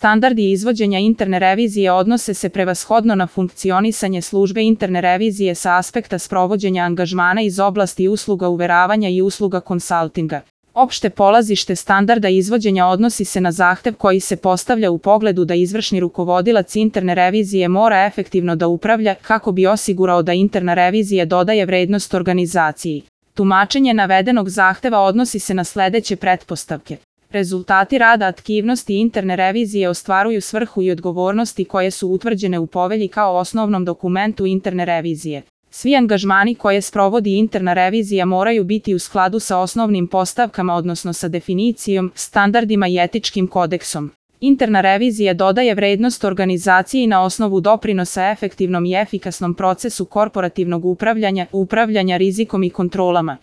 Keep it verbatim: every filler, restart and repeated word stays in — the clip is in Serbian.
Standardi izvođenja interne revizije odnose se prevashodno na funkcionisanje službe interne revizije sa aspekta sprovođenja angažmana iz oblasti usluga uveravanja i usluga konsaltinga. Opšte polazište standarda izvođenja odnosi se na zahtev koji se postavlja u pogledu da izvršni rukovodilac interne revizije mora efektivno da upravlja kako bi osigurao da interna revizija dodaje vrednost organizaciji. Tumačenje navedenog zahteva odnosi se na sledeće pretpostavke. Rezultati rada aktivnosti interne revizije ostvaruju svrhu i odgovornosti koje su utvrđene u povelji kao osnovnom dokumentu interne revizije. Svi angažmani koje sprovodi interna revizija moraju biti u skladu sa osnovnim postavkama, odnosno sa definicijom, standardima i etičkim kodeksom. Interna revizija dodaje vrednost organizaciji na osnovu doprinosa efektivnom i efikasnom procesu korporativnog upravljanja, upravljanja rizikom i kontrolama.